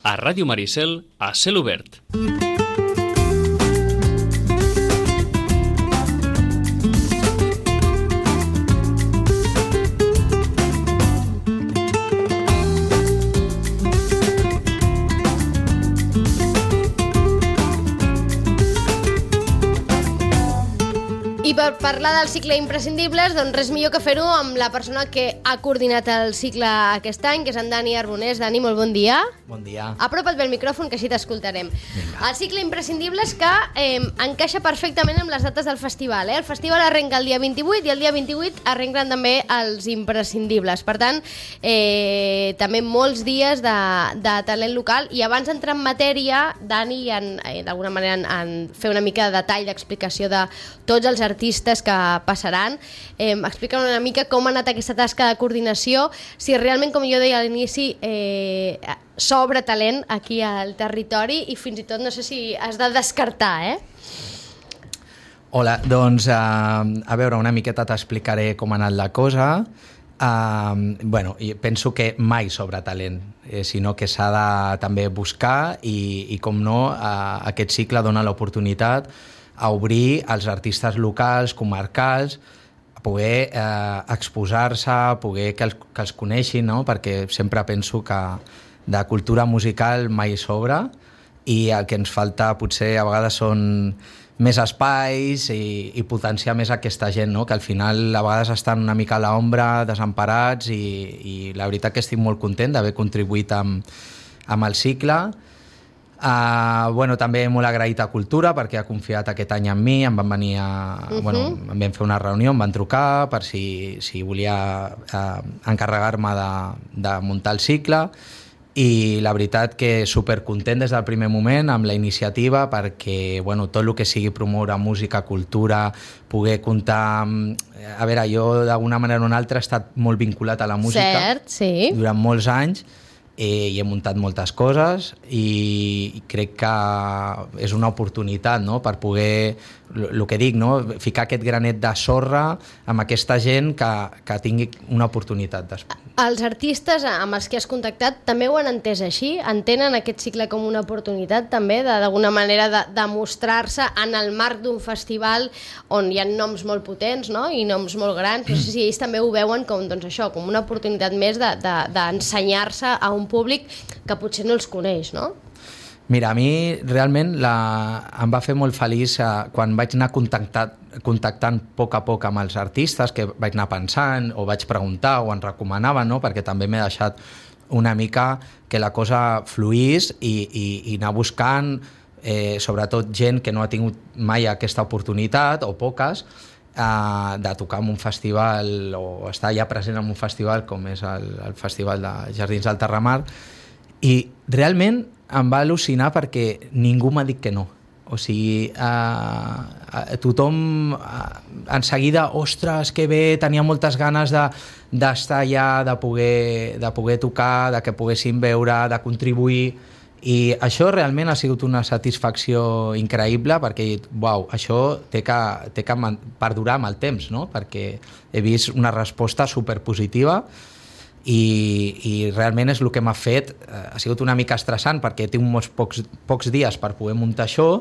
A Ràdio Maricel, a cel obert. I per parlar del cicle Imprescindibles, doncs res millor que fer-ho amb la persona que ha coordinat el cicle aquest any, que és en Dani Arbonés. Dani, molt bon dia. Bon dia. Apropa't bé el micròfon, que així t'escoltarem. El cicle Imprescindibles que encaixa perfectament amb les dates del festival. El festival arrenca el dia 28 i el dia 28 arrenquen també els Imprescindibles. Per tant, també molts dies de talent local. I abans d'entrar en matèria, Dani, d'alguna manera, en fer una mica de detall, d'explicació de tots els artistes que passaran. Explica'm una mica com ha anat aquesta tasca de coordinació, si realment, com jo deia a l'inici, s'obre talent aquí al territori i fins i tot no sé si has de descartar, Hola, doncs a veure, una miqueta t'explicaré com ha anat la cosa. Bueno, penso que mai sobra talent, sinó que s'ha de també buscar i com no, aquest cicle dona l'oportunitat a obrir als artistes locals, comarcals, a poder exposar-se, a poder que els coneixin, no? Perquè sempre penso que de cultura musical mai sobra i el que ens falta potser a vegades són més espais i potenciar més aquesta gent, no? Que al final a vegades estan una mica a l'ombra, desemparats i la veritat que estic molt content d'haver contribuït amb el cicle. Bueno, també molt agraït a Cultura perquè ha confiat aquest any en mi, em van venir bueno, em vam fer una reunió, em van trucar per si volia encarregar-me de muntar el cicle i la veritat que supercontent des del primer moment amb la iniciativa perquè bueno, tot el que sigui promoure música, cultura, poder comptar a veure, jo d'alguna manera o una altra he estat molt vinculat a la música. Cert, sí. Durant molts anys i he muntat moltes coses i crec que és una oportunitat, no? Per poder, el que dic, no? Ficar aquest granet de sorra amb aquesta gent que tingui una oportunitat. Els artistes amb els que has contactat també ho han entès així? Entenen aquest cicle com una oportunitat també d'alguna manera de mostrar-se en el marc d'un festival on hi ha noms molt potents, no? I noms molt grans? No sé si ells també ho veuen com, doncs això, com una oportunitat més d'ensenyar-se a un públic que potser no els coneix, no? Mira, a mi realment em va fer molt feliç quan vaig anar contactant a poc amb els artistes, que vaig anar pensant o vaig preguntar o em recomanaven, no? Perquè també m'he deixat una mica que la cosa fluís i anar buscant sobretot gent que no ha tingut mai aquesta oportunitat o poques de tocar en un festival o estar ja present en un festival com és el Festival de Jardins del Terramar i realment em va al·lucinar perquè ningú m'ha dit que no. O sigui, tothom en seguida, ostres, que bé, tenia moltes ganes d'estar allà, de poder tocar, de que poguessin veure, de contribuir. I això realment ha sigut una satisfacció increïble perquè he dit, uau, això té que perdurar amb el temps, no? Perquè he vist una resposta superpositiva i realment és el que m'ha fet, ha sigut una mica estressant perquè tinc molts pocs dies per poder muntar això,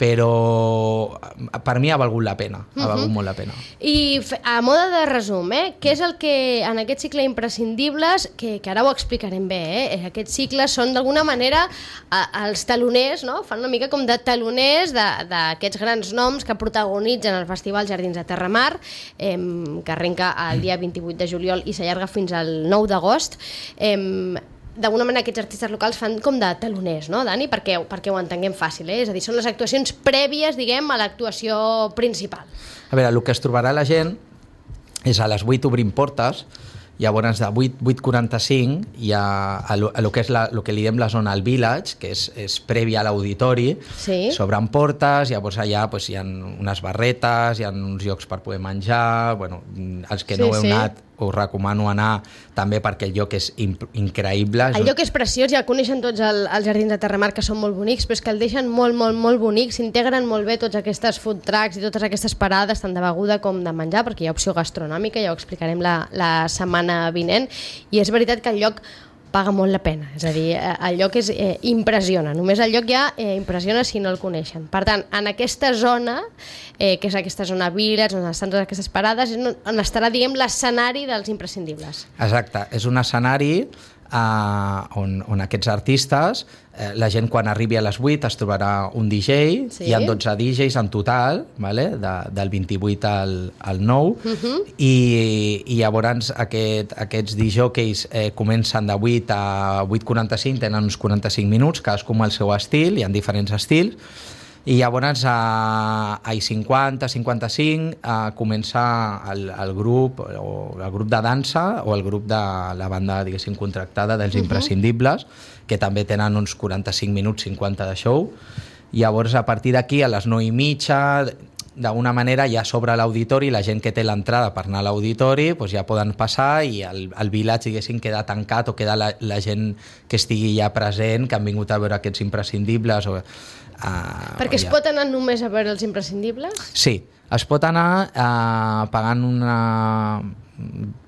però per mi ha valgut la pena, ha valgut molt la pena. I a mode de resum, què és el que en aquest cicle Imprescindibles, que ara ho explicarem bé, aquests cicles són d'alguna manera els taloners, no? Fan una mica com de taloners d'aquests grans noms que protagonitzen el Festival Jardins de Terramar, que arrenca el dia 28 de juliol i s'allarga fins al 9 d'agost. D'alguna manera aquests artistes locals fan com de taloners, no, Dani? Perquè ho entenguem fàcil, És a dir, són les actuacions prèvies, diguem, a l'actuació principal. A veure, el que es trobarà la gent és a les 8 obrim portes, llavors de 8:45 hi ha el que és el que li diem la zona al Village, que és prèvia a l'auditori, s'obren portes, llavors allà hi ha unes barretes, hi ha uns llocs per poder menjar, bueno, els que no heu anat us recomano anar també perquè el lloc és increïble. El lloc és preciós, ja el coneixen tots els Jardins de Terramar, que són molt bonics, però és que el deixen molt, molt, molt bonic, s'integren molt bé tots aquestes food trucks i totes aquestes parades, tant de beguda com de menjar, perquè hi ha opció gastronòmica, ja ho explicarem la setmana vinent, i és veritat que el lloc paga molt la pena. És a dir, el lloc impressiona. Només el lloc ja impressiona si no el coneixen. Per tant, en aquesta zona, que és aquesta zona Village, on estan totes aquestes parades, és on estarà, diguem, l'escenari dels imprescindibles. Exacte, és un escenari on aquests artistes, la gent quan arribi a les 8 es trobarà un DJ, sí. Hi ha 12 DJs en total, vale? Del 28 al 9, i llavors aquests DJs comencen de 8 a 8:45, tenen uns 45 minuts, cadascú amb el seu estil, hi ha diferents estils, i llavors a 50-55 comença el grup de dansa o el grup de la banda, diguéssim, contractada dels imprescindibles, que també tenen uns 45 minuts, 50 de show. Llavors, a partir d'aquí, a les 9:30, d'alguna manera ja s'obre l'auditori, la gent que té l'entrada per anar a l'auditori doncs ja poden passar i el Village, diguéssim, queda tancat, o queda la gent que estigui ja present, que han vingut a veure aquests imprescindibles. Perquè es pot anar només a veure els imprescindibles? Sí, es pot anar pagant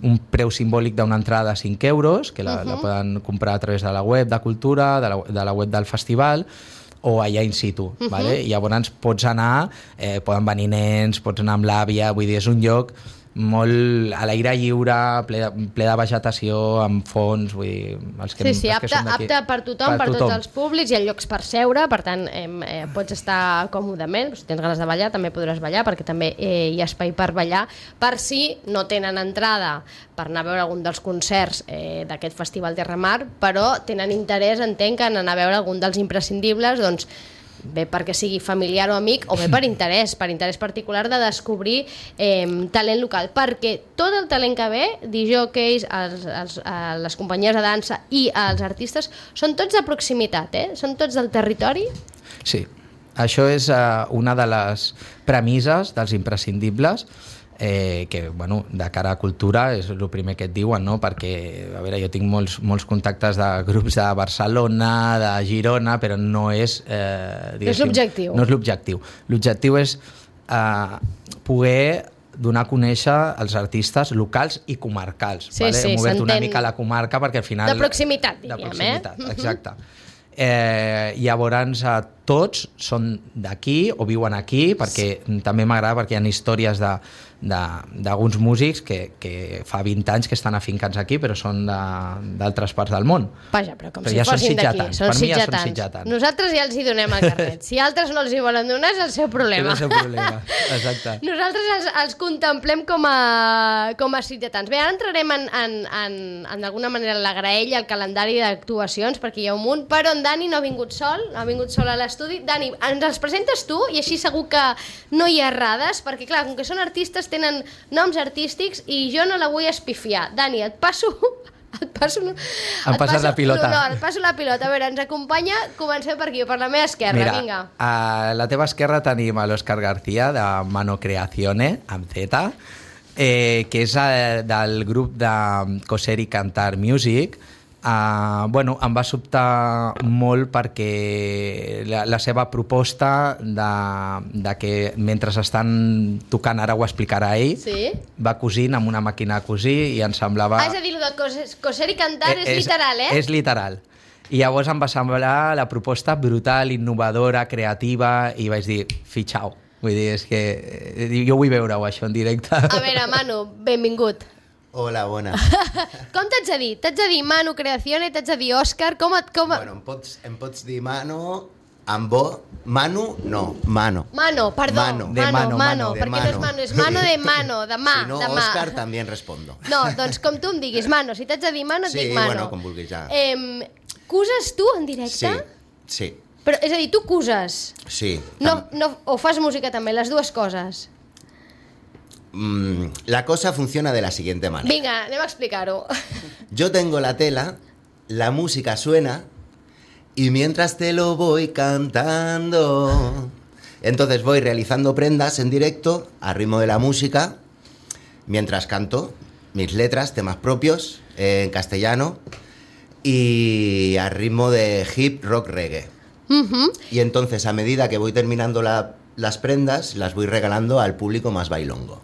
un preu simbòlic d'una entrada de 5 euros, que la poden comprar a través de la web de Cultura, de la web del festival, o allà in situ, vale? I llavors pots anar, poden venir nens, pots anar amb l'àvia, vull dir, és un lloc molt a l'aire lliure, ple de vegetació, amb fons, vull dir, sí, apte per tothom, per tots els públics, hi ha llocs per seure, per tant pots estar còmodament, si tens ganes de ballar també podràs ballar, perquè també hi ha espai per ballar, per si no tenen entrada per anar a veure algun dels concerts d'aquest Festival Terra Mar, però tenen interès, entenc, en anar a veure algun dels imprescindibles, doncs bé perquè sigui familiar o amic, o bé per interès particular de descobrir talent local, perquè tot el talent que ve, DJs, les companyies de dansa i els artistes, són tots de proximitat, són tots del territori? Sí, això és una de les premisses dels imprescindibles, que, bueno, de cara a Cultura és el primer que et diuen, no? Perquè, a veure, jo tinc molts contactes de grups de Barcelona, de Girona, però no és... no és l'objectiu. No és l'objectiu. L'objectiu és poder donar a conèixer els artistes locals i comarcals. Sí, vale? Hem obert una mica la comarca perquè al final... De proximitat, diríem. De proximitat, exacte. Llavors tots són d'aquí o viuen aquí, perquè també m'agrada, perquè hi ha històries d'alguns músics que fa 20 anys que estan afincats aquí, però són d'altres parts del món. Vaja, però com si fossin d'aquí, són sitjatans. Nosaltres ja els hi donem el carnet. Si altres no els hi volen donar, és el seu problema. És el seu problema, exacte. Nosaltres els contemplem com a sitjatans. Bé, ara entrarem en d'alguna manera la graella, el calendari d'actuacions, perquè hi ha un munt, però en Dani no ha vingut sol a l'estudi. Dani, ens els presentes tu i així segur que no hi ha errades, perquè clar, com que són artistes tenen noms artístics i jo no la vull espifiar. Dani, et passo Em passes la pilota. No, et passo la pilota. A veure, ens acompanya, comencem per aquí, per la meva esquerra. Mira, vinga. A la teva esquerra tenim l'Òscar García, de Mano Creazione, amb Z, que és del grup de Coser i Cantar Music. Bueno, em va sobtar molt perquè la seva proposta de que mentre estan tocant, ara ho explicarà ell, sí? Va cosint amb una màquina de cosir i em semblava... És a dir, el de coser i cantar és literal, És literal. I llavors em va semblar la proposta brutal, innovadora, creativa, i vaig dir, fitxau. Vull dir, és que jo vull veure-ho, això, en directe. A veure, Manu, benvingut. Hola, bona. Com t'haig de dir? T'haig de dir Manu Creazione, t'haig de dir Òscar, Bueno, em pots dir Manu, amb bo, Manu, no, Mano. Mano, perdó. Mano. Perquè no és Manu, és Mano de Mano, de mà. Si no, de mà. Òscar, també respondo. No, doncs com tu em diguis, Mano. Si t'haig de dir Mano, et dic Mano. Sí, bueno, com vulguis, ja. Cuses tu en directe? Sí. Però, és a dir, tu cuses? Sí. No, o fas música també, les dues coses? La cosa funciona de la siguiente manera. Venga, anem a explicar-ho. Yo tengo la tela, la música suena y mientras te lo voy cantando, entonces voy realizando prendas en directo a ritmo de la música mientras canto mis letras, temas propios en castellano y a ritmo de hip rock reggae. Y entonces a medida que voy terminando las prendas, las voy regalando al público más bailongo.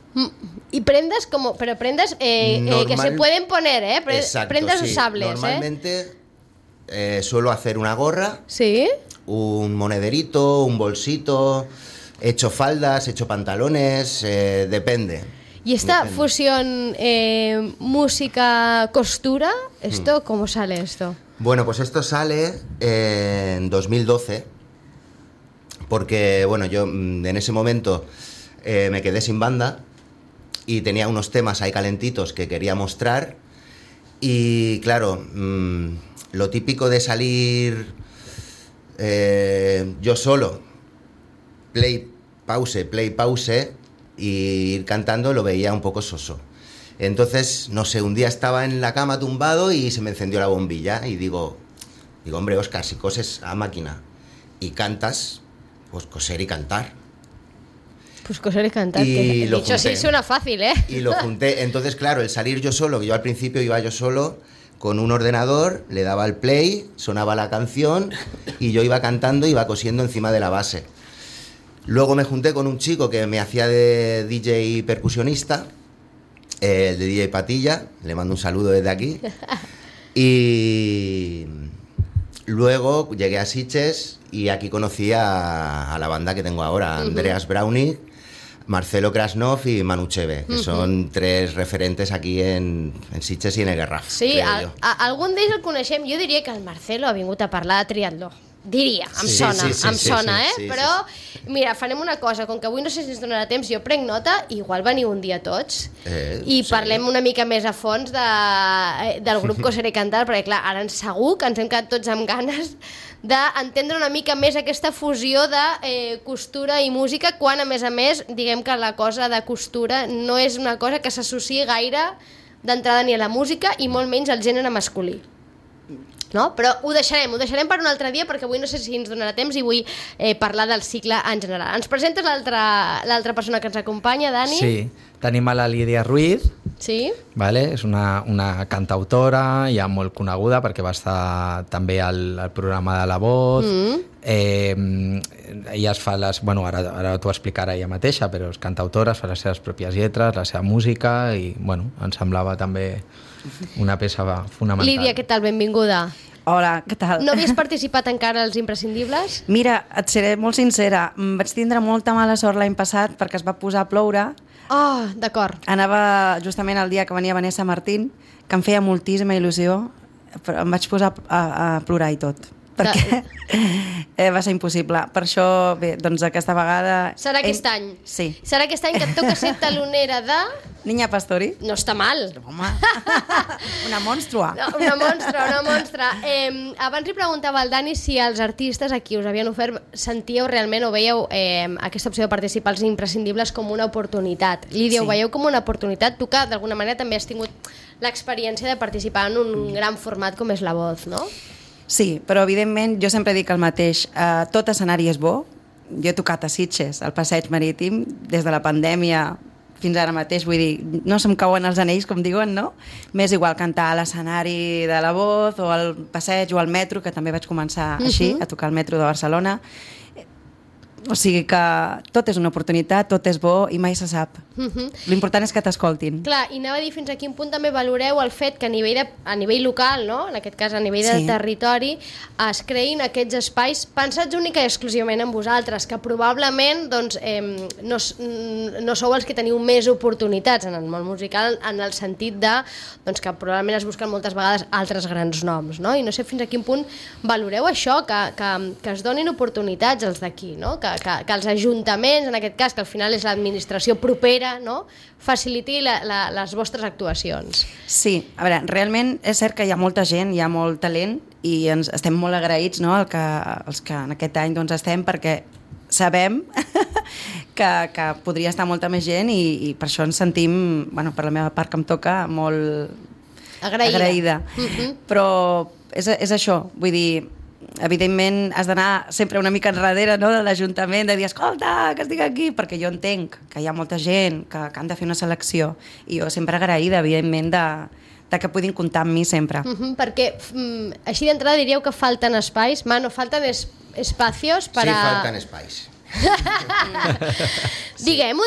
Y prendas como, pero prendas que se pueden poner, Exacto, prendas sí. usables. Normalmente suelo hacer una gorra, Sí? un monederito, un bolsito, he hecho faldas, he hecho pantalones, depende. Y esta Depende. fusión música-costura, ¿esto cómo sale esto? Bueno, pues esto sale en 2012, porque bueno, yo en ese momento me quedé sin banda y tenía unos temas ahí calentitos que quería mostrar y claro, lo típico de salir yo solo, play, pause y ir cantando lo veía un poco soso. Entonces, no sé, un día estaba en la cama tumbado y se me encendió la bombilla y digo, hombre, Óscar, si coses a máquina y cantas, pues coser y cantar. Pues coser y cantar, Y que lo dicho así junté. suena fácil, ¿eh? Y lo junté. Entonces, claro, el salir yo solo, que yo al principio iba yo solo, con un ordenador, le daba al play, sonaba la canción y yo iba cantando, iba cosiendo encima de la base. Luego me junté con un chico que me hacía de DJ percusionista, el de DJ Patilla, le mando un saludo desde aquí. Y luego llegué a Sitges y aquí conocí a la banda que tengo ahora, Andreas Browning, Marcelo Krasnov y Manu Cheve, que son tres referentes aquí en Sitges i en el Garraf. Sí, creo jo. algun d'ells el coneixem. Jo diria que el Marcelo ha vingut a parlar de triatló. Diria, em Sí, sona, sí, sí, em sí, sona, sí, sí, Però, mira, farem una cosa, com que avui no sé si ens donarà temps, jo prenc nota, igual veniu un dia tots, i Sí. parlem una mica més a fons del grup Coser i Cantar, perquè clar, ara segur que ens hem quedat tots amb ganes d'entendre una mica més aquesta fusió de costura i música, quan a més, diguem que la cosa de costura no és una cosa que s'associï gaire d'entrada ni a la música i molt menys al gènere masculí. No? Però ho deixarem per un altre dia perquè avui no sé si ens donarà temps i vull parlar del cicle en general. Ens presentes l'altra persona que ens acompanya, Dani? Sí, tenim a la Lídia Ruiz, Sí? vale? És una cantautora ja molt coneguda perquè va estar també al programa de La Voz. Ella es fa les... Bueno, ara t'ho explicarà ella mateixa, però és cantautora, fa les seves pròpies lletres, la seva música i, bueno, em semblava també una peça fonamental. Lídia, què tal? Benvinguda. Hola, què tal? No havies participat encara als Imprescindibles? Mira, et seré molt sincera, vaig tindre molta mala sort l'any passat perquè es va posar a ploure. Oh, d'acord. Anava justament el dia que venia Vanessa Martín, que em feia moltíssima il·lusió, però em vaig posar a plorar i tot, perquè va ser impossible. Per això, bé, doncs aquesta vegada... Serà aquest any? Sí. Serà aquest any que et toca ser talonera de... Niña Pastori. No està mal. Home, una monstrua. No, una monstra. Abans li preguntava al Dani si els artistes a qui us havien ofert sentíeu realment o veieu aquesta opció de participar als Imprescindibles com una oportunitat. Lídia, Sí. ho veieu com una oportunitat? Tu que d'alguna manera també has tingut l'experiència de participar en un gran format com és La Voz, no? Sí, però evidentment jo sempre dic el mateix, tot escenari és bo. Jo he tocat a Sitges, al Passeig Marítim, des de la pandèmia fins ara mateix, vull dir, no se'm cauen els anells, com diuen, no? M'és igual cantar a l'escenari de La Voz o al Passeig o al metro, que també vaig començar així, a tocar al metro de Barcelona. O sigui que tot és una oportunitat, tot és bo i mai se sap. L'important és que t'escoltin. Clar, i anava a dir fins a quin punt també valoreu el fet que a nivell local, no? En aquest cas a nivell de Sí. territori, es creïn aquests espais pensats única i exclusivament en vosaltres, que probablement doncs, no sou els que teniu més oportunitats en el món musical, en el sentit de doncs, que probablement es busquen moltes vegades altres grans noms, no? I no sé fins a quin punt valoreu això, que es donin oportunitats als d'aquí, no? Que els ajuntaments, en aquest cas, que al final és l'administració propera, no? Faciliti les vostres actuacions. Sí, a veure, realment és cert que hi ha molta gent, hi ha molt talent i ens estem molt agraïts, no?, els que en aquest any doncs, estem, perquè sabem que podria estar molta més gent i per això ens sentim, bueno, per la meva part que em toca, molt agraïda. Però és això, vull dir, evidentment has d'anar sempre una mica enrere, no?, de l'Ajuntament, de dir, escolta, que estic aquí, perquè jo entenc que hi ha molta gent que han de fer una selecció i jo sempre agraïda, evidentment, de que puguin comptar amb mi sempre. Perquè així d'entrada diríeu que falten espais, Mano, falten espacios para... Sí, faltan espais. Diguem-ho,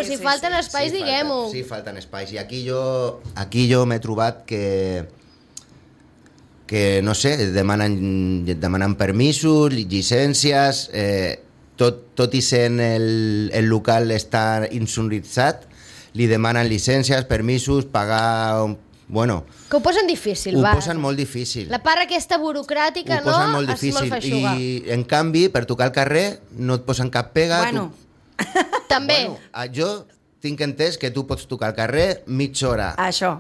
Sí, si falten espais, diguem-ho. Sí, falten espais. I aquí jo m'he trobat que que no sé, demanen permisos, llicències, tot i sent el local està insonoritzat, li demanen llicències, permisos, pagar... Bueno, que ho posen difícil, ho posen molt difícil. La part aquesta burocràtica, ho posen molt és difícil. molt feixuga. I, en canvi, per tocar al carrer, no et posen cap pega. Bueno. També. Bueno, jo tinc entès que tu pots tocar al carrer mitja hora. Això.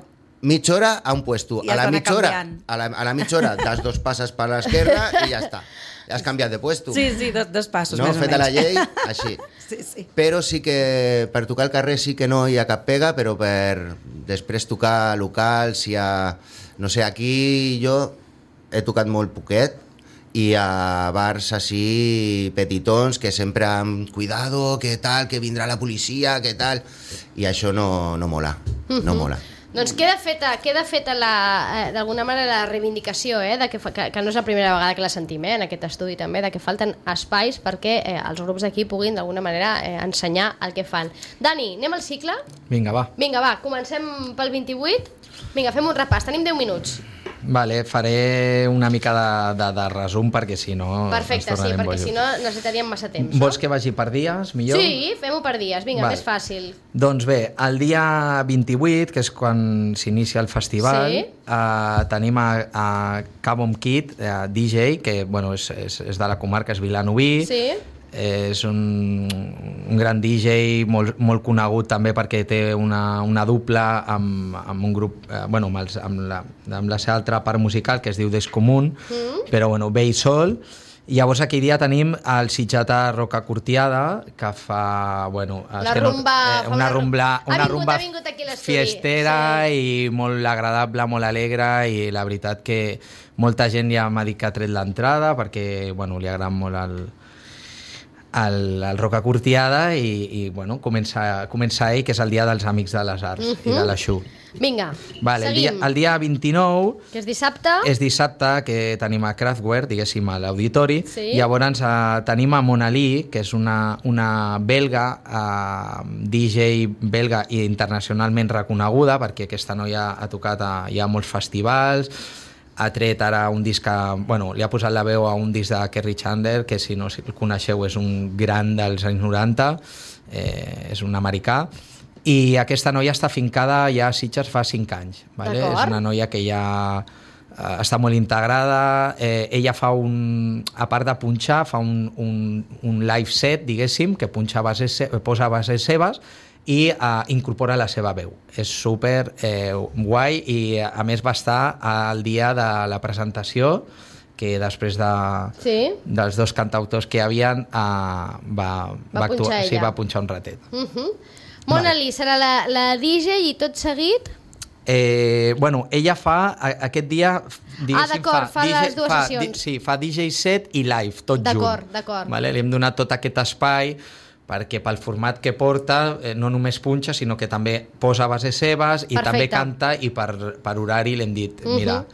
Mitja hora a un puesto. I A la has d'anar mitja hora, canviant. a la mitja hora das 2 passes per l'esquerra i ja està. Ja has canviat de puesto. Sí, dos passos, No, més o menys. feta la llei, així. Sí. Però sí que per tocar al carrer sí que no hi ha cap pega, però per després tocar local, si hi ha... No sé, aquí jo he tocat molt poquet i a bars així petitons que sempre amb cuidado, que tal, que vindrà la policia, que tal... I això no mola, no mola. Doncs queda feta d'alguna manera la reivindicació, de que no és la primera vegada que la sentim, en aquest estudi també, de que falten espais perquè els grups d'aquí puguin d'alguna manera ensenyar el que fan. Dani, anem al cicle? Vinga, va. Vinga, va, comencem pel 28. Vinga, fem un repàs, tenim 10 minuts. Vale, faré una mica de resum perquè si no... Perfecte, sí, perquè si no necessitaríem massa temps. Vols que vagi per dies, millor? Sí, fem-ho per dies, vinga, Vale. més fàcil. Doncs bé, el dia 28, que és quan s'inicia el festival, Sí. tenim a Cabom Kid, DJ, que bueno, és de la comarca, és vilanoví. Sí. És un gran DJ molt conegut també perquè té una dupla amb un grup, amb la seva altra part musical que es diu Descomun, però bueno, ve i sol. I llavors aquell dia tenim el Sitjata Roca Curtiada, que fa, bueno... una rumba ha vingut aquí a l'estudi. Fiestera, sí. I molt agradable, molt alegre, i la veritat que molta gent ja m'ha dit que ha tret l'entrada perquè, bueno, li agrada molt el Roca Curtiada i bueno, comença ell, que és el dia dels Amics de les Arts i de l'Aixú. Vinga, Vale, seguim. el dia 29 Que és dissabte. és dissabte, que tenim a Kraftwerk, diguéssim, a l'auditori. Sí. Llavors tenim a Mona Lee, que és una belga, DJ belga i internacionalment reconeguda, perquè aquesta noia ha tocat ja a molts festivals, ha tret ara un disc li ha posat la veu a un disc de Kerry Chandler, que si no el coneixeu és un gran dels anys 90, és un americà, i aquesta noia està fincada ja a Sitges fa 5 anys. Vale? És una noia que ja està molt integrada, ella fa a part de punxar, fa un live set, diguéssim, que posa bases seves i incorpora la seva veu. És super guai i a més va estar al dia de la presentació, que després dels dos cantautors que hi havia va punxar un ratet. Mona Lee serà la DJ i tot seguit... ella fa aquest dia... d'acord, fa les dues sessions. Sí, fa DJ set i live, tot junt. D'acord. Vale? Li hem donat tot aquest espai perquè pel format que porta no només punxa, sinó que també posa bases seves i també canta, i per horari l'hem dit, mira,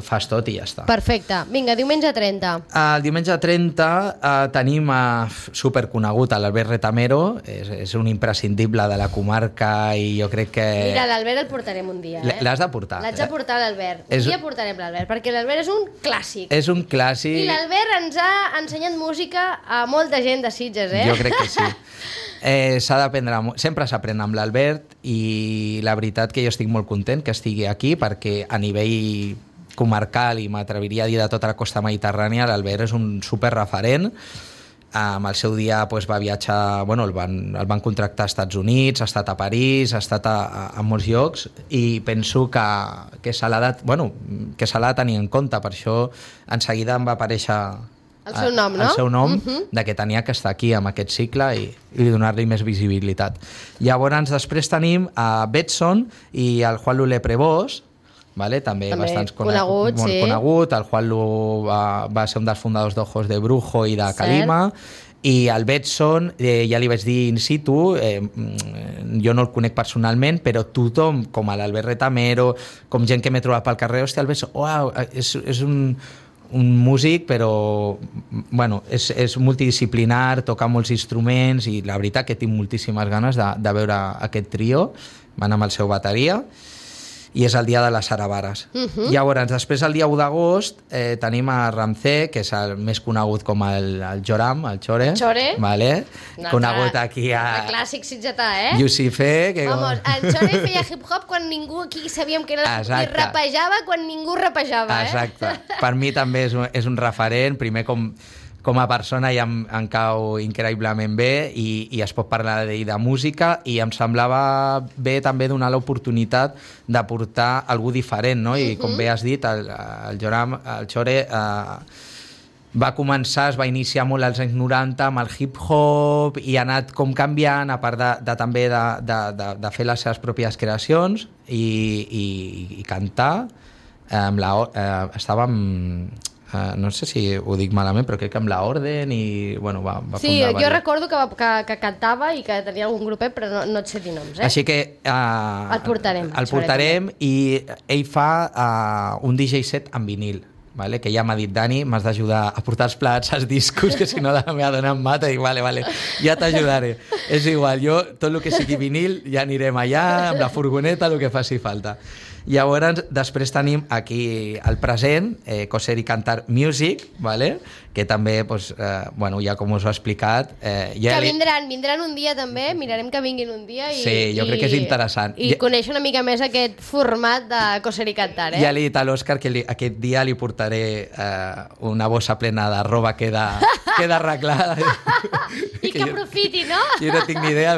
fas tot i ja està. Perfecte. Vinga, diumenge 30. El diumenge 30 tenim superconegut l'Albert Retamero, és un imprescindible de la comarca i jo crec que... Mira, l'Albert el portarem un dia. L'has de portar. L'haig de portar l'Albert. Un dia portarem l'Albert, perquè l'Albert és un clàssic. És un clàssic. I l'Albert ens ha ensenyat música a molta gent de Sitges, Jo crec que sí. S'ha d'aprendre, sempre s'aprèn amb l'Albert, i la veritat que jo estic molt content que estigui aquí, perquè a nivell comarcal, i m'atreviria a dir de tota la costa mediterrània, l'Albert és un superreferent. Al seu dia va viatjar, el van contractar als Estats Units, ha estat a París, ha estat a molts llocs, i penso que se l'ha de tenir en compte. Per això en seguida em va aparèixer el seu nom, no? El seu nom, de que tenia que estar aquí amb aquest cicle i donar-li més visibilitat. Llavors després tenim a Betson i el Juan Lulé Prevós, també bastant conegut, molt conegut. El Juanlu va ser un dels fundadors d'Ojos de Brujo i de Calima, i el Betson, ja li vaig dir in situ, jo no el conec personalment, però tothom, com l'Albert Retamero, com gent que m'he trobat pel carrer, hòstia, el Betson, és un músic, però és multidisciplinar, toca molts instruments, i la veritat que tinc moltíssimes ganes de veure aquest trio. Van amb el seu bateria. i és el dia de les Saravares. Llavors, després el dia 1 d'agost tenim a Ramsey, que és el més conegut com el Joram, el Chore. Chore. Vale? Conegut aquí El clàssic sitgetà, Yusife, que... Vamos, el Chore feia hip-hop quan ningú aquí sabíem que era... I rapejava quan ningú rapejava, Exacte. Per mi també és un referent, primer com a persona ja em cau increïblement bé i es pot parlar d'ell de música i em semblava bé també donar l'oportunitat de portar algú diferent, no? I com bé has dit, el Joram, el Chore va començar, es va iniciar molt als anys 90 amb el hip-hop i ha anat com canviant, a part també de fer les seves pròpies creacions i cantar. Estava amb... no sé si ho dic malament, però crec que amb la Orden i bueno, va sí, fundar... jo recordo que cantava i que tenia algun grupet, però no et sé dir noms. Així que el portarem i ell fa un DJ set en vinil. Vale? Que ja m'ha dit, Dani, m'has d'ajudar a portar els plats, els discos, que si no la meva dona em mata. I dic, vale, ja t'ajudaré. És igual, jo, tot el que sigui vinil, ja anirem allà, amb la furgoneta, el que faci falta. Llavors, després tenim aquí el present, Coser i Cantar Music, vale? Que també, pues, bueno, ja com us ho he explicat... que vindran un dia també, mirarem que vinguin un dia i... Sí, jo crec que és interessant. I conèixer una mica més aquest format de Coser i Cantar, Ja li he dit a l'Òscar que aquest dia li portaré una bossa plena de roba que queda arreglada. I que aprofiti, no? Jo no tinc ni idea,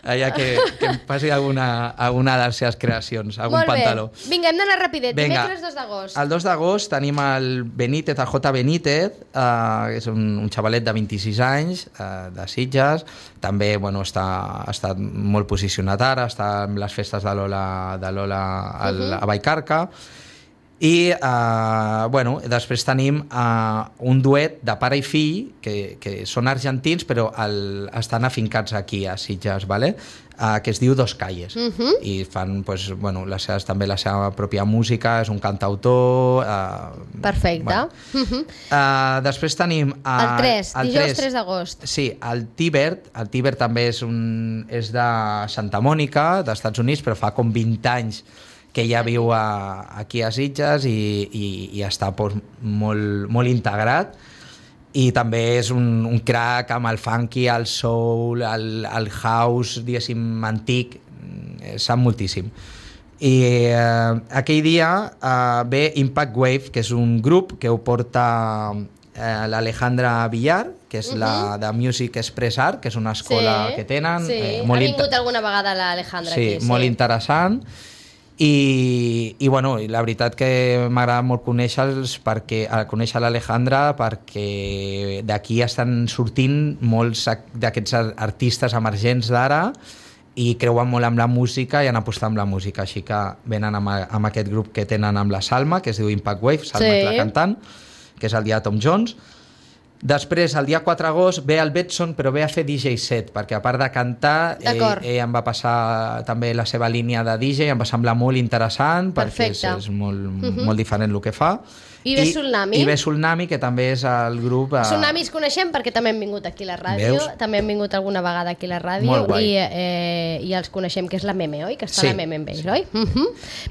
allà que em passi alguna de les seves creacions, algun pantaló. Molt bé. Vinga, hem d'anar rapidet. Dimecres 2 d'agost. El 2 d'agost tenim el Benítez, el J. Benítez, que és un xavalet de 26 anys, de Sitges. També bueno, està molt posicionat ara, està en les festes de Lola a Vallcarca. I bueno, després tenim un duet de pare i fill que són argentins però estan afincats aquí a Sitges, vale? Que es diu Dos Calles i fan pues, bueno, també la seva pròpia música, és un cantautor perfecte. Bueno. Després tenim dijous 3 d'agost. Sí, el Tibert també és de Santa Mònica, dels Estats Units, però fa com 20 anys que ja viu aquí a Sitges i està pues, molt integrat i també és un crack amb el funky, el soul, el house, diguéssim, antic, sap moltíssim. I aquell dia ve Impact Wave, que és un grup que ho porta l'Alejandra Villar, que és la de Music Express Art, que és una escola que tenen. Sí, ha vingut alguna vegada l'Alejandra aquí. Sí, molt interessant. I bueno, la veritat que m'agrada molt conèixer l'Alejandra perquè d'aquí estan sortint molts d'aquests artistes emergents d'ara i creuen molt amb la música i han apostat amb la música, així que venen amb aquest grup que tenen amb la Salma, que es diu Impact Wave, Salma és la cantant, que és el dia de Tom Jones. Després, el dia 4 d'agost, ve el Betson, però ve a fer DJ set, perquè a part de cantar, ell em va passar també la seva línia de DJ, em va semblar molt interessant, perquè és molt diferent el que fa. I ve Tsunami. I ve Tsunami, que també és el grup... Tsunami els coneixem perquè també han vingut aquí a la ràdio, també han vingut alguna vegada aquí a la ràdio i els coneixem, que és la Meme, oi? Que està la Meme amb ells, oi?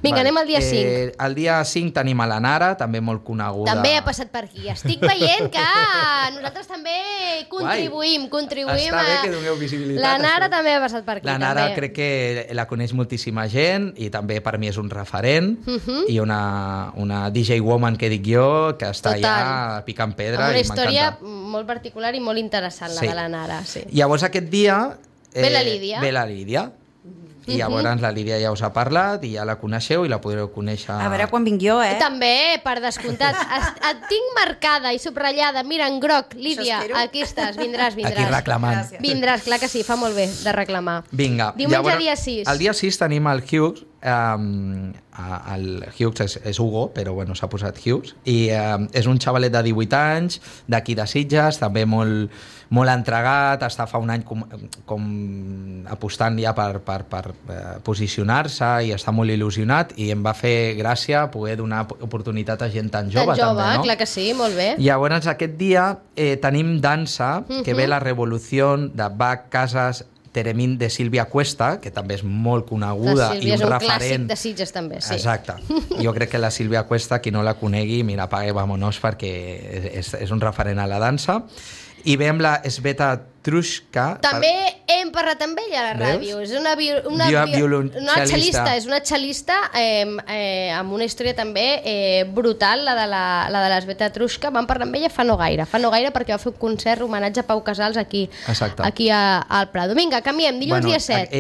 Vinga, anem al dia 5. El dia 5 tenim a la Nara, també molt coneguda. També ha passat per aquí. Estic veient que nosaltres també contribuïm Està bé que doneu visibilitat. La Nara també ha passat per aquí. La Nara crec que la coneix moltíssima gent i també per mi és un referent i una DJ woman que dic jo, que està allà picant pedra. Amb una història molt particular i molt interessant, la de la Nara. Llavors aquest dia ve la Lídia. I llavors la Lídia ja us ha parlat i ja la coneixeu i la podreu conèixer... A veure quan vinc jo, També, per descomptat. Et tinc marcada i subratllada. Mira, en groc, Lídia, aquí estàs, vindràs. Aquí reclamant. Vindràs, clar que sí, fa molt bé de reclamar. Vinga. Diumenge dia 6. El dia 6 tenim el Hughes. El Hughes és Hugo, però bueno, s'ha posat Hughes. I és un xavalet de 18 anys, d'aquí de Sitges, també molt entregat, està fa un any com apostant ja per posicionar-se i està molt il·lusionat i em va fer gràcia poder donar oportunitat a gent tan jove. Tan jove, també, no? Clar que sí, molt bé. Llavors aquest dia tenim dansa, que ve la revolució de Bach Casas Teremín de Sílvia Cuesta, que també és molt coneguda i un referent. És un clàssic de Sitges, també, sí. Exacte. Jo crec que la Sílvia Cuesta, qui no la conegui, mira, apague, vámonos, perquè és un referent a la dansa. I veiem la Sveta Trushka. També hem parlat amb ella a la ràdio. És una cel·lista. És una cel·lista amb una història també brutal, la de la Sveta Trushka. Vam parlar amb ella fa no gaire perquè va fer un concert homenatge a Pau Casals aquí al Prado. Vinga, canviem, dilluns dia 7.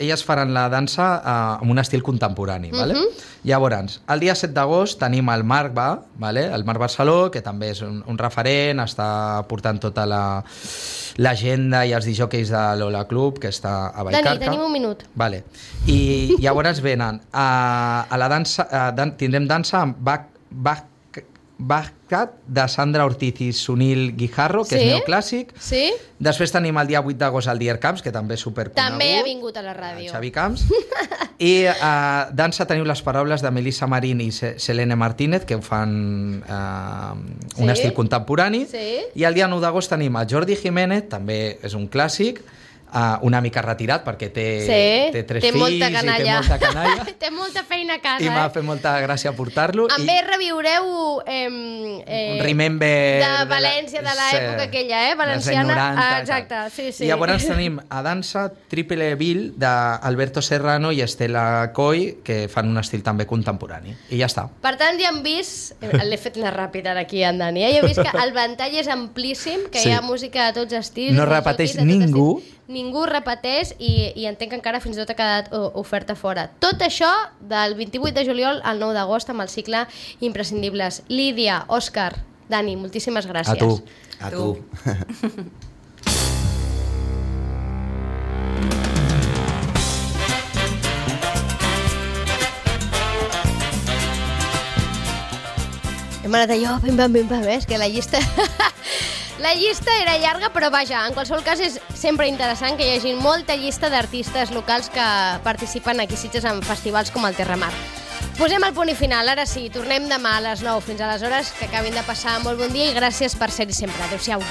Elles faran la dansa amb un estil contemporani. Vale? Llavors, el dia 7 d'agost tenim el Marc Va, vale? El Marc Barceló, que també és un referent, està portant tota l'agenda i els disjòqueis de l'Ola Club, que està a Vallcarca. Dani, tenim un minut. Vale. I llavors venen a la dansa, tindrem dansa amb Bachcat de Sandra Ortiz i Sunil Guijarro, que és neoclàssic. Sí. Després tenim el dia 8 d'agost el Dier Camps, que també és superconegut. També ha vingut a la ràdio. Xavi Camps. I dansa teniu les paraules de Melissa Marín i Selene Martínez, que fan un estil contemporani. Sí. I el dia 9 d'agost tenim el Jordi Jiménez, també és un clàssic, una mica retirat perquè té 3 fills i té molta canalla. Té molta feina a casa. I m'ha fet molta gràcia portar-lo. A més, reviureu Remember de València, de l'època aquella, valenciana. 90, exacte, sí. I llavors tenim a dansa Triple Bill d'Alberto Serrano i Estela Coy, que fan un estil també contemporani. I ja està. Per tant, ja hem vist... L'he fet anar ràpid ara aquí, en Dani. Ja he vist que el ventall és amplíssim, que hi ha música de tots estils. No repeteix ningú. Ningú repeteix i entenc que encara fins i tot ha quedat oferta fora. Tot això del 28 de juliol al 9 d'agost amb el cicle Imprescindibles. Lídia, Òscar, Dani, moltíssimes gràcies. A tu. A tu. Hem anat allò, pim-pam, és que la llista... La llista era llarga, però vaja, en qualsevol cas és sempre interessant que hi hagi molta llista d'artistes locals que participen aquí a Sitges en festivals com el Terramar. Posem el punt i final, ara sí, tornem demà a les 9. Fins aleshores, que acabin de passar molt bon dia i gràcies per ser-hi sempre. Adéu-siau.